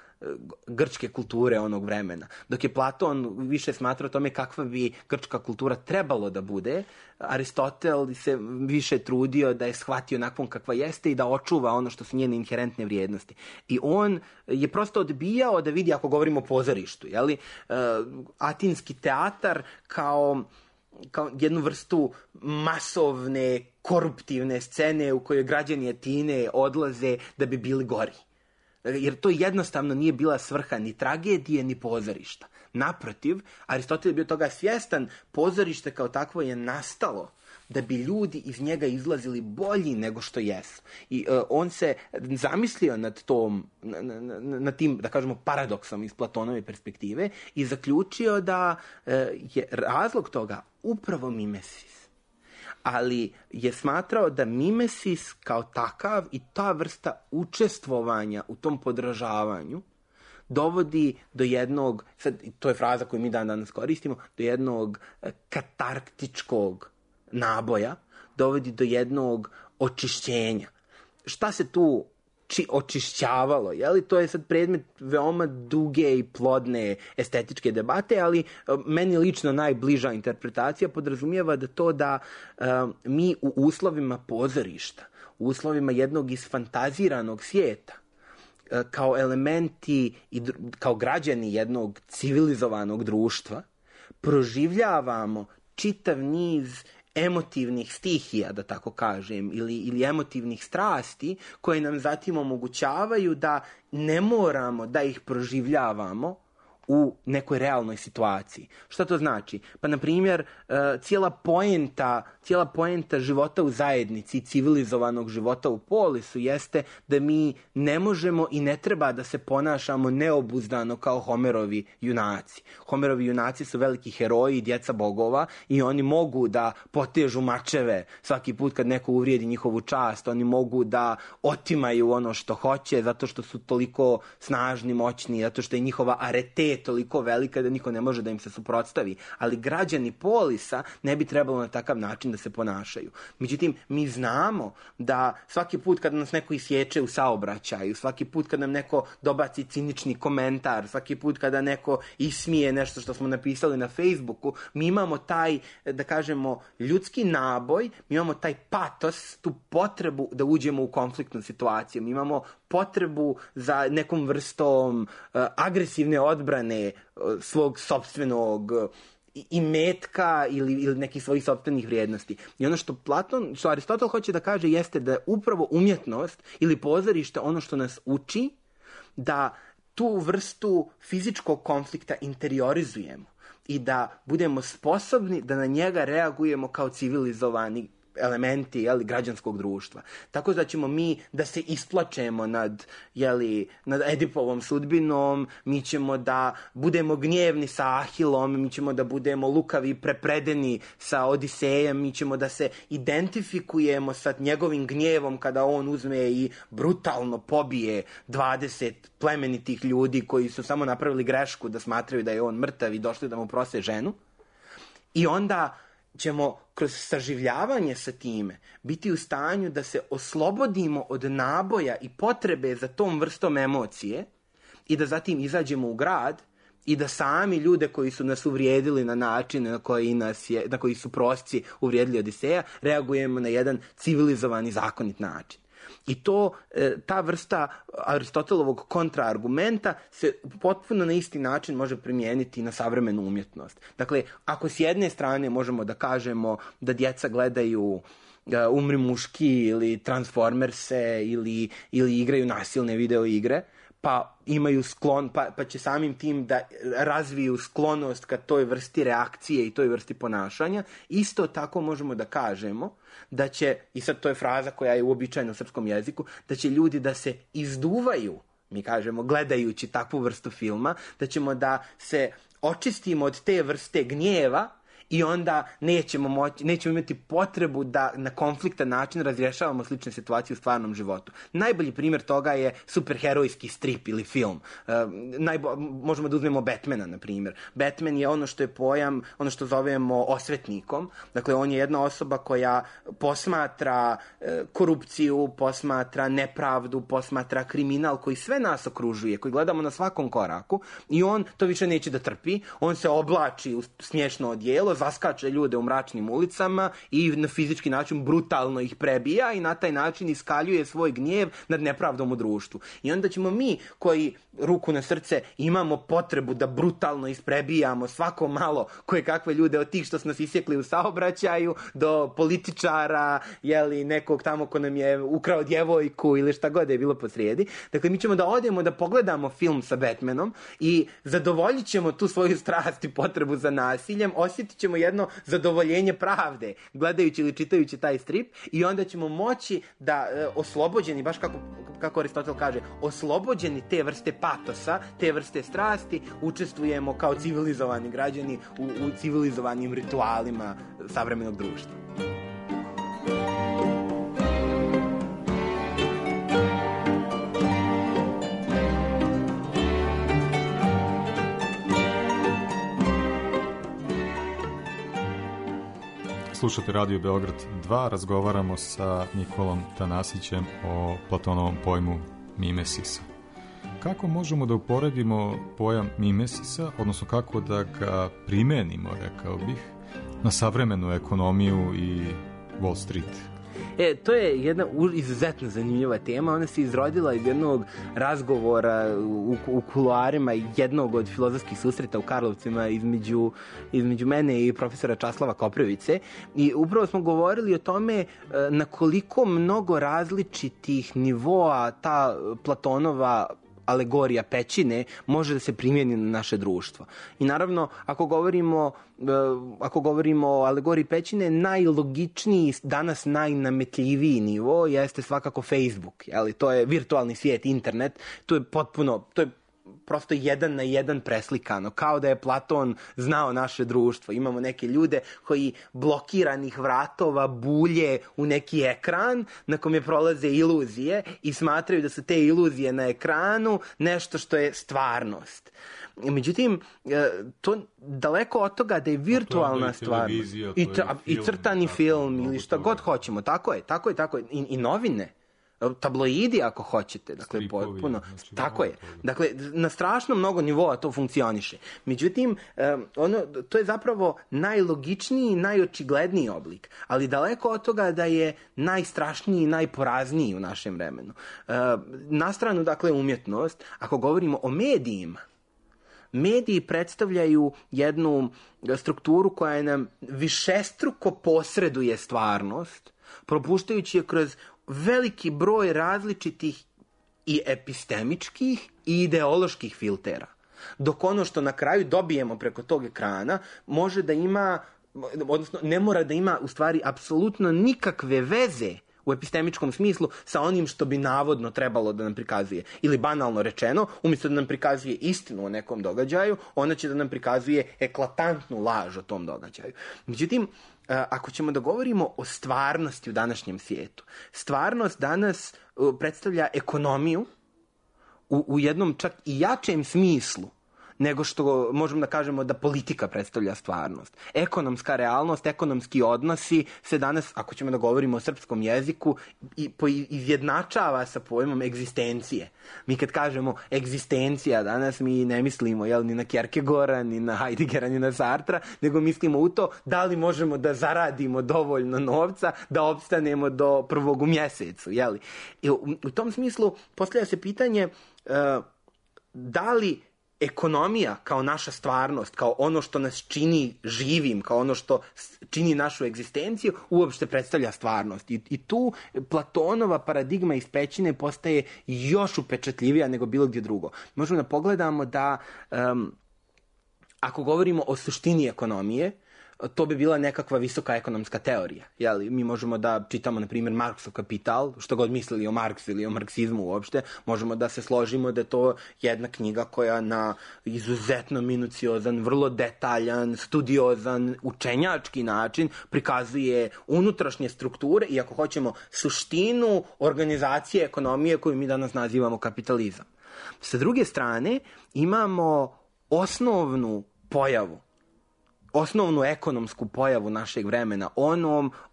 grčke kulture onog vremena. Dok je Platon više smatrao tome kakva bi grčka kultura trebalo da bude, Aristotel se više trudio da je shvati onakvom kakva jeste i da očuva ono što su njene inherentne vrijednosti. I on je prosto odbijao da vidi, ako govorimo o pozorištu, atinski teatar kao jednu vrstu masovne, koruptivne scene u kojoj građani Atine odlaze da bi bili gori. Jer to jednostavno nije bila svrha ni tragedije, ni pozorišta. Naprotiv, Aristotel je bio toga svjestan, pozorište kao takvo je nastalo da bi ljudi iz njega izlazili bolji nego što jesu. I on se zamislio nad tim, da kažemo, paradoksom iz Platonove perspektive i zaključio da je razlog toga upravo mimesis. Ali je smatrao da mimesis kao takav i ta vrsta učestvovanja u tom podražavanju dovodi do jednog, sad, to je fraza koju mi danas koristimo, do jednog katarktičkog naboja, dovodi do jednog očišćenja. Šta se tu očišćavalo? To je sad predmet veoma duge i plodne estetičke debate, ali meni lično najbliža interpretacija podrazumijeva da mi u uslovima pozorišta, u uslovima jednog isfantaziranog svijeta, kao elementi i kao građani jednog civilizovanog društva, proživljavamo čitav niz emotivnih stihija, da tako kažem, ili emotivnih strasti koje nam zatim omogućavaju da ne moramo da ih proživljavamo u nekoj realnoj situaciji. Šta to znači? Pa, na primjer, cijela poenta života u zajednici i civilizovanog života u polisu jeste da mi ne možemo i ne treba da se ponašamo neobuzdano kao Homerovi junaci. Homerovi junaci su veliki heroji, djeca bogova, i oni mogu da potežu mačeve svaki put kad neko uvrijedi njihovu čast. Oni mogu da otimaju ono što hoće zato što su toliko snažni, moćni, zato što je njihova arete toliko velika da niko ne može da im se suprotstavi. Ali građani polisa ne bi trebalo na takav način da se ponašaju. Međutim, mi znamo da svaki put kad nas neko isječe u saobraćaju, svaki put kad nam neko dobaci cinični komentar, svaki put kada neko ismije nešto što smo napisali na Facebooku, mi imamo taj, da kažemo, ljudski naboj, mi imamo taj patos, tu potrebu da uđemo u konfliktnu situaciju. Mi imamo potrebu za nekom vrstom agresivne odbrane svog sopstvenog imetka ili nekih svojih sopstvenih vrijednosti. I ono što Aristotel hoće da kaže jeste da je upravo umjetnost ili pozorište ono što nas uči da tu vrstu fizičkog konflikta interiorizujemo i da budemo sposobni da na njega reagujemo kao civilizovani elementi građanskog društva. Tako da ćemo mi da se isplačemo nad Edipovom sudbinom, mi ćemo da budemo gnjevni sa Ahilom, mi ćemo da budemo lukavi i prepredeni sa Odisejem, mi ćemo da se identifikujemo sa njegovim gnjevom kada on uzme i brutalno pobije 20 plemenitih ljudi koji su samo napravili grešku da smatraju da je on mrtav i došli da mu prose ženu. I onda ćemo kroz saživljavanje sa time biti u stanju da se oslobodimo od naboja i potrebe za tom vrstom emocije i da zatim izađemo u grad i da sami ljude koji su nas uvrijedili na način na koji su prosci uvrijedili Odiseja, reagujemo na jedan civilizovani, zakonit način. I ta vrsta Aristotelovog kontraargumenta se potpuno na isti način može primijeniti na savremenu umjetnost. Dakle, ako s jedne strane možemo da kažemo da djeca gledaju Umri muški ili Transformerse ili igraju nasilne video igre, pa imaju sklon, pa će samim tim da razviju sklonost ka toj vrsti reakcije i toj vrsti ponašanja, isto tako možemo da kažemo da će, i sad to je fraza koja je uobičajena u srpskom jeziku, da će ljudi da se izduvaju, mi kažemo, gledajući takvu vrstu filma, da ćemo da se očistimo od te vrste gnjeva i onda nećemo imati potrebu da na konfliktan način razrješavamo slične situacije u stvarnom životu. Najbolji primjer toga je superherojski strip ili film. Možemo da uzmemo Batmana, na primjer. Batman je ono što je pojam, ono što zovemo osvetnikom. Dakle, on je jedna osoba koja posmatra korupciju, posmatra nepravdu, posmatra kriminal koji sve nas okružuje, koji gledamo na svakom koraku i on to više neće da trpi. On se oblači u smiješno odijelo, zaskače ljude u mračnim ulicama i na fizički način brutalno ih prebija i na taj način iskaljuje svoj gnjev nad nepravdom u društvu. I onda ćemo mi, koji ruku na srce imamo potrebu da brutalno isprebijamo svako malo koje kakve ljude, od tih što su nas isjekli u saobraćaju do političara, nekog tamo ko nam je ukrao djevojku ili šta god je bilo posrijedi. Dakle, mi ćemo da odemo da pogledamo film sa Batmanom i zadovoljit ćemo tu svoju strast i potrebu za nasiljem, osjetit ćemo jedno zadovoljenje pravde gledajući ili čitajući taj strip i onda ćemo moći da oslobođeni, baš kako Aristotel kaže, oslobođeni te vrste patosa, te vrste strasti, učestvujemo kao civilizovani građani u civilizovanim ritualima savremenog društva. Slušate Radio Beograd 2, razgovaramo sa Nikolom Tanasićem o Platonovom pojmu mimesisa. Kako možemo da uporedimo pojam mimesisa, odnosno kako da ga primenimo, rekao bih, na savremenu ekonomiju i Wall Street? To je jedna izuzetno zanimljiva tema. Ona se izrodila iz jednog razgovora u kuloarima jednog od filozofskih susreta u Karlovcima između mene i profesora Časlava Koprivice. I upravo smo govorili o tome na koliko mnogo različitih nivoa ta Platonova alegorija pećine može da se primjeni na naše društvo. I naravno, ako govorimo o alegoriji pećine, najlogičniji, danas najnametljiviji nivo jeste svakako Facebook. To je virtualni svijet, internet. To je prosto 1 na 1 preslikano, kao da je Platon znao naše društvo. Imamo neke ljude koji blokiranih vratova bulje u neki ekran na kome prolaze iluzije i smatraju da su te iluzije na ekranu nešto što je stvarnost. Međutim, to daleko od toga da je virtualna stvarnost i crtani film ili šta god hoćemo. Tako je. I novine. Tabloidi ako hoćete, dakle potpuno, tako je. Dakle, na strašno mnogo nivoa to funkcioniše. Međutim, to je zapravo najlogičniji i najočigledniji oblik, ali daleko od toga da je najstrašniji i najporazniji u našem vremenu. Na stranu, dakle, umjetnost, ako govorimo o medijima, mediji predstavljaju jednu strukturu koja nam višestruko posreduje stvarnost, propuštajući je kroz veliki broj različitih i epistemičkih i ideoloških filtera. Dok ono što na kraju dobijemo preko tog ekrana može da ima odnosno ne mora da ima u stvari apsolutno nikakve veze u epistemičkom smislu sa onim što bi navodno trebalo da nam prikazuje. Ili banalno rečeno, umjesto da nam prikazuje istinu o nekom događaju, ona će da nam prikazuje eklatantnu laž o tom događaju. Međutim, ako ćemo da govorimo o stvarnosti u današnjem svijetu, stvarnost danas predstavlja ekonomiju u jednom čak i jačem smislu nego što možemo da kažemo da politika predstavlja stvarnost. Ekonomska realnost, ekonomski odnosi se danas, ako ćemo da govorimo o srpskom jeziku, izjednačava sa pojmom egzistencije. Mi kad kažemo egzistencija danas, mi ne mislimo ni na Kierkegaarda, ni na Heideggera, ni na Sartra, nego mislimo u to da li možemo da zaradimo dovoljno novca da opstanemo do prvog u mjesecu. I u tom smislu postavlja se pitanje da li ekonomija kao naša stvarnost, kao ono što nas čini živim, kao ono što čini našu egzistenciju, uopšte predstavlja stvarnost. I tu Platonova paradigma iz pećine postaje još upečatljivija nego bilo gdje drugo. Možemo da pogledamo da ako govorimo o suštini ekonomije, to bi bila nekakva visoka ekonomska teorija. Mi možemo da čitamo, na primjer, Marksov Kapital, što god mislili o Marksu ili o marksizmu uopšte, možemo da se složimo da je to jedna knjiga koja na izuzetno minuciozan, vrlo detaljan, studiozan, učenjački način prikazuje unutrašnje strukture i, ako hoćemo, suštinu organizacije ekonomije koju mi danas nazivamo kapitalizam. Sa druge strane, imamo osnovnu pojavu, osnovnu ekonomsku pojavu našeg vremena,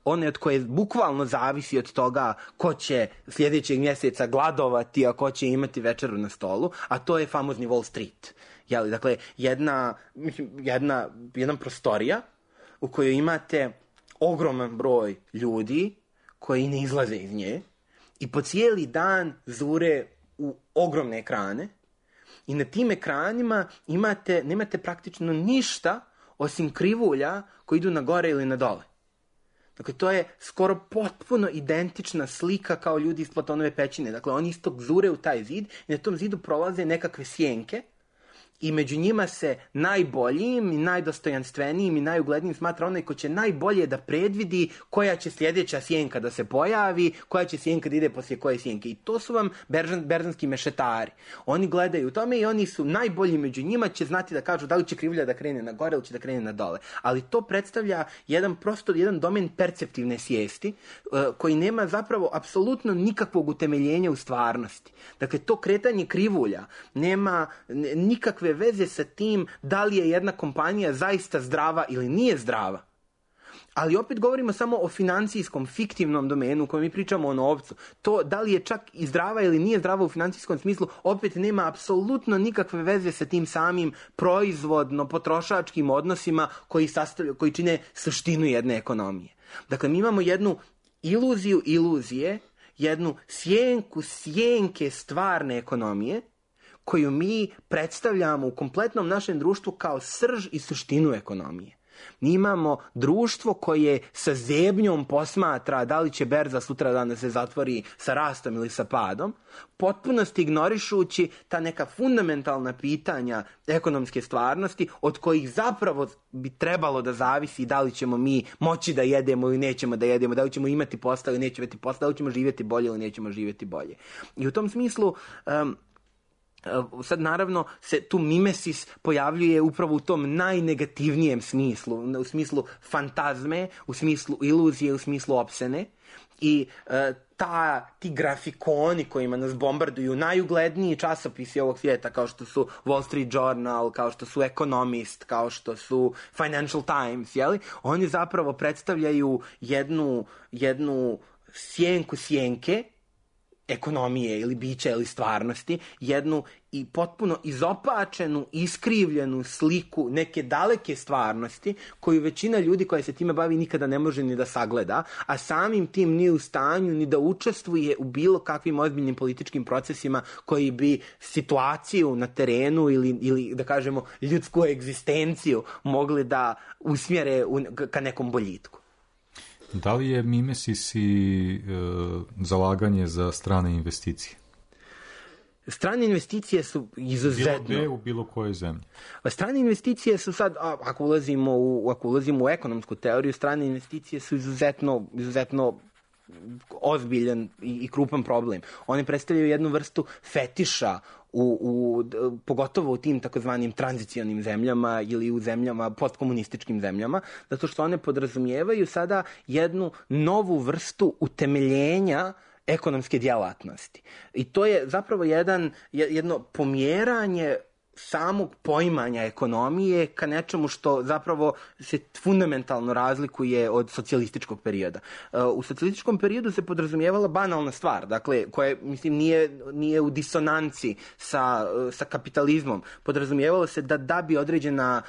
one od koje bukvalno zavisi od toga ko će sljedećeg mjeseca gladovati, a ko će imati večeru na stolu, a to je famozni Wall Street. Dakle, jedna prostorija u kojoj imate ogroman broj ljudi koji ne izlaze iz nje i po cijeli dan zure u ogromne ekrane i na tim ekranima nemate praktično ništa osim krivulja koji idu na gore ili na dole. Dakle, to je skoro potpuno identična slika kao ljudi iz Platonove pećine. Dakle, oni isto zure u taj zid i na tom zidu prolaze nekakve sjenke i među njima se najboljim i najdostojanstvenijim i najuglednijim smatra onaj ko će najbolje da predvidi koja će sljedeća sjenka da se pojavi, koja će sjenka da ide poslije koje sjenke. I to su vam berzanski mešetari. Oni gledaju u tome i oni su najbolji među njima, će znati da kažu da li će krivulja da krene na gore ili će da krene na dole. Ali to predstavlja jedan domen perceptivne svijesti koji nema zapravo apsolutno nikakvog utemeljenja u stvarnosti. Dakle, to kretanje krivulja nema nikakve veze sa tim da li je jedna kompanija zaista zdrava ili nije zdrava. Ali opet govorimo samo o financijskom, fiktivnom domenu u kojem mi pričamo o novcu. To da li je čak i zdrava ili nije zdrava u financijskom smislu opet nema apsolutno nikakve veze sa tim samim proizvodno-potrošačkim odnosima koji čine suštinu jedne ekonomije. Dakle, mi imamo jednu iluziju iluzije, jednu sjenke stvarne ekonomije koju mi predstavljamo u kompletnom našem društvu kao srž i suštinu ekonomije. Mi imamo društvo koje sa zebnjom posmatra da li će berza sutra dana se zatvori sa rastom ili sa padom, potpunosti ignorišući ta neka fundamentalna pitanja ekonomske stvarnosti od kojih zapravo bi trebalo da zavisi da li ćemo mi moći da jedemo ili nećemo da jedemo, da li ćemo imati posla ili nećemo imati posla, da li ćemo živjeti bolje ili nećemo živjeti bolje. I u tom smislu sad naravno se tu mimesis pojavljuje upravo u tom najnegativnijem smislu, u smislu fantazme, u smislu iluzije, u smislu opsene i ti grafikoni kojima nas bombarduju najugledniji časopisi ovog svijeta kao što su Wall Street Journal, kao što su Economist, kao što su Financial Times, oni zapravo predstavljaju jednu sjenke ekonomije ili bića ili stvarnosti, jednu i potpuno izopačenu, iskrivljenu sliku neke daleke stvarnosti koju većina ljudi koja se time bavi nikada ne može ni da sagleda, a samim tim nije u stanju ni da učestvuje u bilo kakvim ozbiljnim političkim procesima koji bi situaciju na terenu ili da kažemo ljudsku egzistenciju mogli da usmjere ka nekom boljitku. Da li je mimesis i zalaganje za strane investicije? Strane investicije su izuzetno... Bilo gde u bilo kojoj zemlji. Strane investicije su sad, ako ulazimo u ekonomsku teoriju, strane investicije su izuzetno ozbiljan i krupan problem. One predstavljaju jednu vrstu fetiša pogotovo u tim takozvanim tranzicionim zemljama ili u zemljama, postkomunističkim zemljama, zato što one podrazumijevaju sada jednu novu vrstu utemeljenja ekonomske djelatnosti. I to je zapravo jedno pomjeranje samog poimanja ekonomije ka nečemu što zapravo se fundamentalno razlikuje od socijalističkog perioda. U socijalističkom periodu se podrazumijevala banalna stvar, dakle, koja nije u disonanci sa kapitalizmom. Podrazumijevalo se da bi određena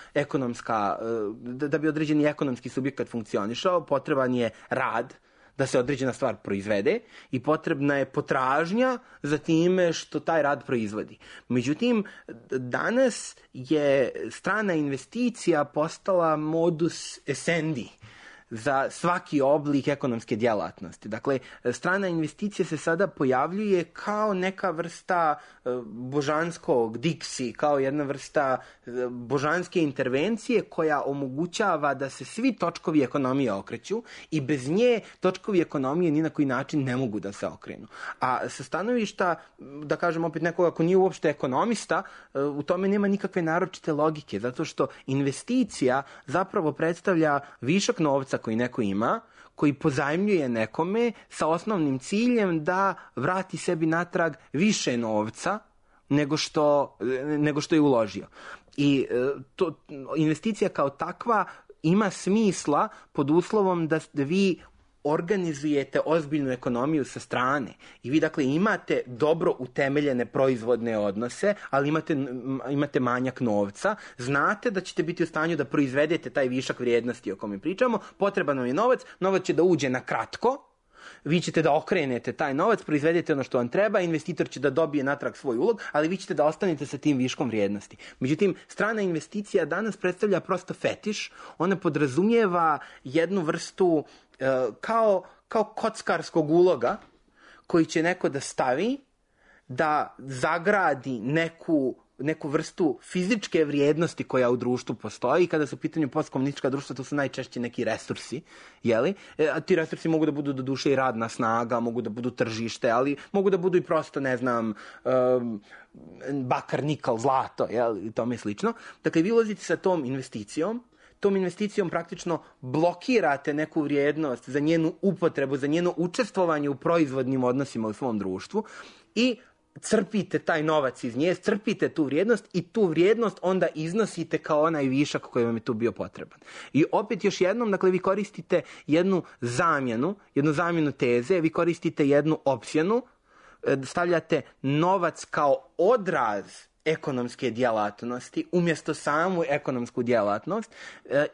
da bi određeni ekonomski subjekat funkcionišao, potreban je rad, da se određena stvar proizvede i potrebna je potražnja za time što taj rad proizvodi. Međutim, danas je strana investicija postala modus essendi za svaki oblik ekonomske djelatnosti. Dakle, strana investicija se sada pojavljuje kao neka vrsta božanskog diksi, kao jedna vrsta božanske intervencije koja omogućava da se svi točkovi ekonomije okreću i bez nje točkovi ekonomije ni na koji način ne mogu da se okrenu. A sa stanovišta, da kažem opet nekoga ko nije uopšte ekonomista, u tome nema nikakve naročite logike, zato što investicija zapravo predstavlja višak novca koji neko ima, koji pozajmljuje nekome sa osnovnim ciljem da vrati sebi natrag više novca nego što je uložio. I investicija kao takva ima smisla pod uslovom da vi organizujete ozbiljnu ekonomiju sa strane i vi dakle imate dobro utemeljene proizvodne odnose, ali imate manjak novca, znate da ćete biti u stanju da proizvedete taj višak vrijednosti o kome pričamo, potreban vam je novac će da uđe na kratko, vi ćete da okrenete taj novac, proizvedete ono što vam treba, investitor će da dobije natrag svoj ulog, ali vi ćete da ostanete sa tim viškom vrijednosti. Međutim, strana investicija danas predstavlja prosto fetiš, ona podrazumijeva jednu vrstu kao kockarskog uloga koji će neko da stavi, da zagradi neku vrstu fizičke vrijednosti koja u društvu postoji. Kada su u pitanju postkomunistička društva, to su najčešće neki resursi, jeli? A ti resursi mogu da budu do duše i radna snaga, mogu da budu tržište, ali mogu da budu i prosto, ne znam, bakar, nikal, zlato, jeli? I tome slično. Dakle, vi ulazite sa tom investicijom praktično blokirate neku vrijednost za njenu upotrebu, za njeno učestvovanje u proizvodnim odnosima u svom društvu i crpite taj novac iz nje, crpite tu vrijednost i tu vrijednost onda iznosite kao onaj višak koji vam je tu bio potreban. I opet još jednom, dakle, vi koristite jednu zamjenu teze, vi koristite jednu opsjenu, stavljate novac kao odraz ekonomske djelatnosti umjesto samu ekonomsku djelatnost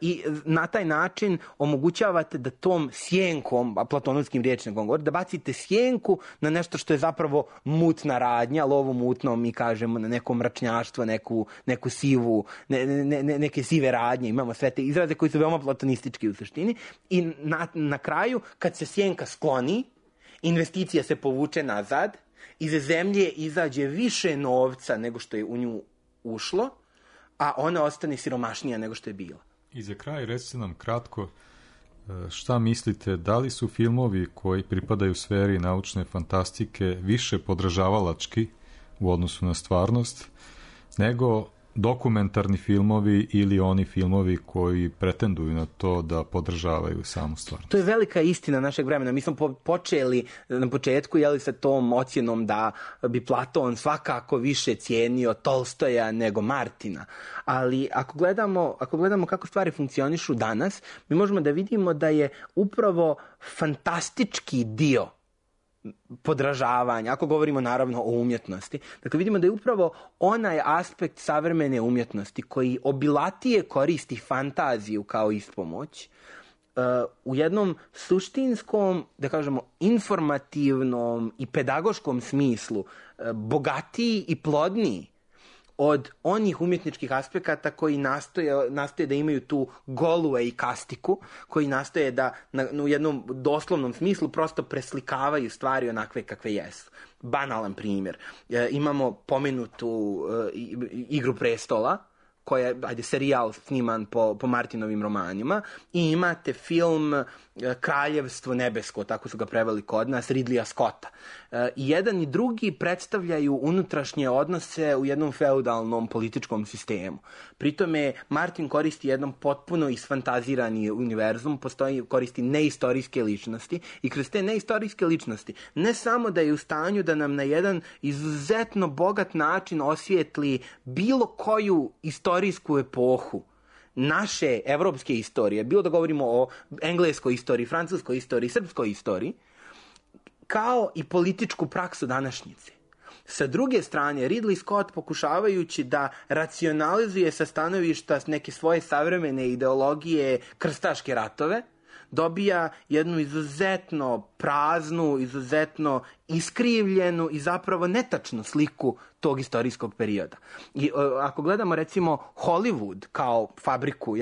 i na taj način omogućavate da tom sjenkom, a platonovskim rječnikom govori, da bacite sjenku na nešto što je zapravo mutna radnja, lovo mutno mi kažemo, na neko mračnjaštvo, neku sivu, neke sive radnje, imamo sve te izraze koji su veoma platonistički u suštini i na kraju kad se sjenka skloni, investicija se povuče nazad, iz zemlje izađe više novca nego što je u nju ušlo, a ona ostane siromašnija nego što je bila. I za kraj recite nam kratko šta mislite, da li su filmovi koji pripadaju sferi naučne fantastike više podržavalački u odnosu na stvarnost nego dokumentarni filmovi ili oni filmovi koji pretenduju na to da podržavaju samu stvarnost? To je velika istina našeg vremena. Mi smo počeli na početku sa tom ocjenom da bi Platon svakako više cijenio Tolstoja nego Martina. Ali ako gledamo kako stvari funkcionišu danas, mi možemo da vidimo da je upravo fantastički dio podražavanja, ako govorimo naravno o umjetnosti. Dakle, vidimo da je upravo onaj aspekt savremene umjetnosti koji obilatije koristi fantaziju kao ispomoć, u jednom suštinskom, da kažemo, informativnom i pedagoškom smislu bogatiji i plodniji od onih umjetničkih aspekata koji nastoje da imaju tu golue i kastiku, koji nastoje da u jednom doslovnom smislu prosto preslikavaju stvari onakve kakve jesu. Banalan primjer. Imamo pomenutu Igru prestola, koja je serijal sniman po Martinovim romanima, i imate film Kraljevstvo nebesko, tako su ga preveli kod nas, Ridleya Scotta. I jedan i drugi predstavljaju unutrašnje odnose u jednom feudalnom političkom sistemu. Pritome Martin koristi jedan potpuno isfantazirani univerzum, koristi neistorijske ličnosti, i kroz te neistorijske ličnosti ne samo da je u stanju da nam na jedan izuzetno bogat način osvijetli bilo koju istorijsku epohu naše evropske istorije, bilo da govorimo o engleskoj istoriji, francuskoj istoriji, srpskoj istoriji, kao i političku praksu današnjice. Sa druge strane, Ridley Scott, pokušavajući da racionalizuje sa stanovišta neke svoje savremene ideologije krstaške ratove, dobija jednu izuzetno praznu, izuzetno iskrivljenu i zapravo netačnu sliku tog istorijskog perioda. I ako gledamo recimo Hollywood kao fabriku,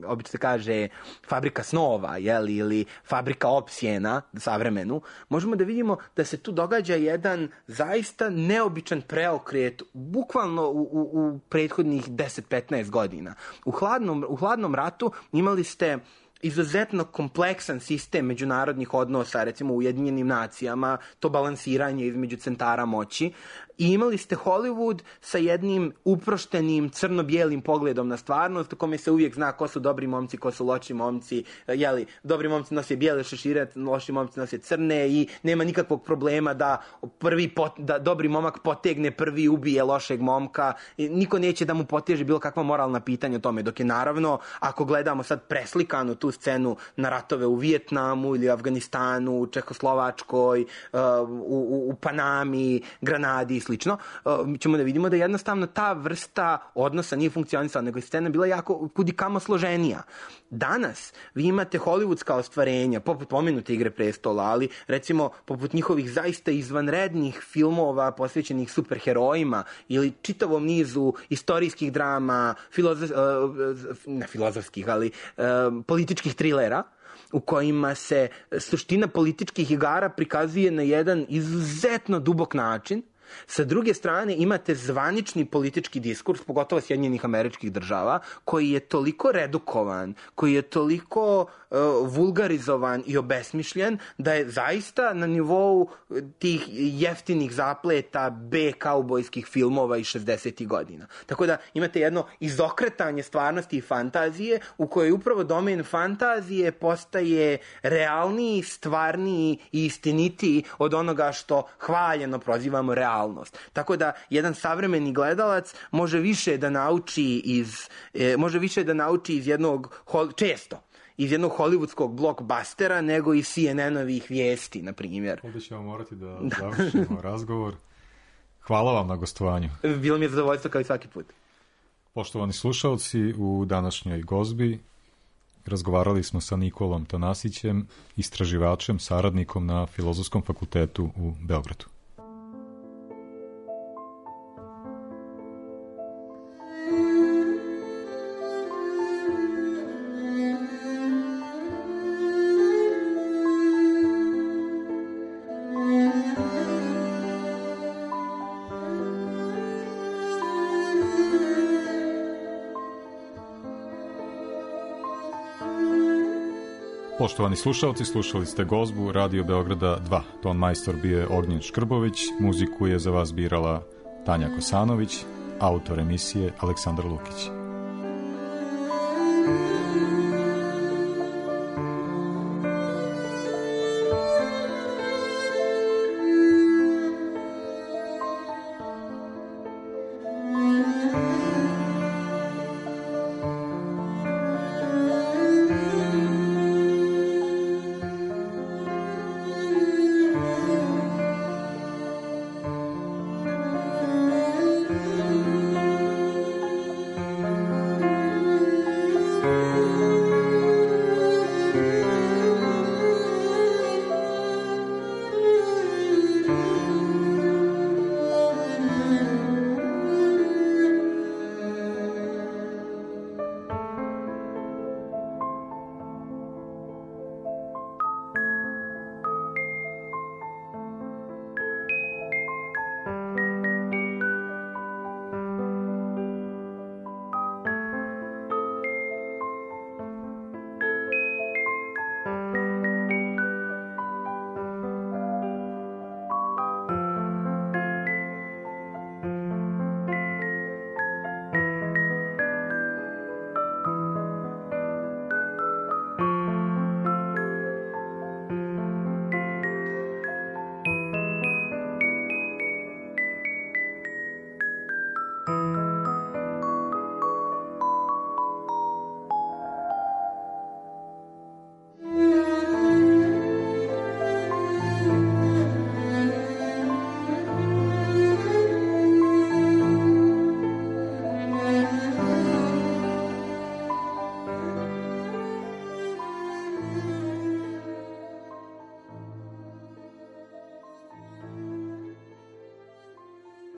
obično se kaže fabrika snova, ili fabrika opsjena savremenu, možemo da vidimo da se tu događa jedan zaista neobičan preokret, bukvalno u prethodnih 10-15 godina. U hladnom ratu imali ste izuzetno kompleksan sistem međunarodnih odnosa, recimo u Ujedinjenim nacijama, to balansiranje između centara moći, i imali ste Hollywood sa jednim uproštenim crno-bijelim pogledom na stvarnost, u kome se uvijek zna ko su dobri momci, ko su loši momci, dobri momci nose bijele šešire, loši momci nose crne, i nema nikakvog problema da dobri momak potegne prvi, ubije lošeg momka, niko neće da mu poteže bilo kakva moralna pitanja o tome, dok je naravno, ako gledamo sad preslikanu tu scenu na ratove u Vijetnamu ili Afganistanu, Čehoslovačkoj, u Panami, Granadi i slično, mi ćemo da vidimo da jednostavno ta vrsta odnosa nije funkcionisala, nego je scena bila jako kudikamo složenija. Danas vi imate hollywoodska ostvarenja, poput pomenute Igre prestola, ali recimo poput njihovih zaista izvanrednih filmova posvećenih superherojima ili čitavom nizu istorijskih drama, političkih trilera, u kojima se suština političkih igara prikazuje na jedan izuzetno dubok način. Sa druge strane imate zvanični politički diskurs, pogotovo Sjedinjenih Američkih Država, koji je toliko redukovan, koji je toliko vulgarizovan i obesmišljen, da je zaista na nivou tih jeftinih zapleta B-kaubojskih filmova iz 60. godina. Tako da imate jedno izokretanje stvarnosti i fantazije, u kojoj upravo domen fantazije postaje realniji, stvarniji i istinitiji od onoga što hvaljeno prozivamo realnost. Tako da jedan savremeni gledalac može više da nauči iz jednog, često, iz jednog hollywoodskog blockbustera nego iz CNN-ovih vijesti, na primjer. Ovdje ćemo morati da završimo razgovor. Hvala vam na gostovanju. Bilo mi je zadovoljstvo kao i svaki put. Poštovani slušalci, u današnjoj gozbi razgovarali smo sa Nikolom Tanasićem, istraživačem, saradnikom na Filozofskom fakultetu u Beogradu. Poštovani slušalci, slušali ste gozbu Radio Beograda 2. Ton majstor bio je Ognjen Škrbović, muziku je za vas birala Tanja Kosanović, autor emisije Aleksandar Lukić. Thank you.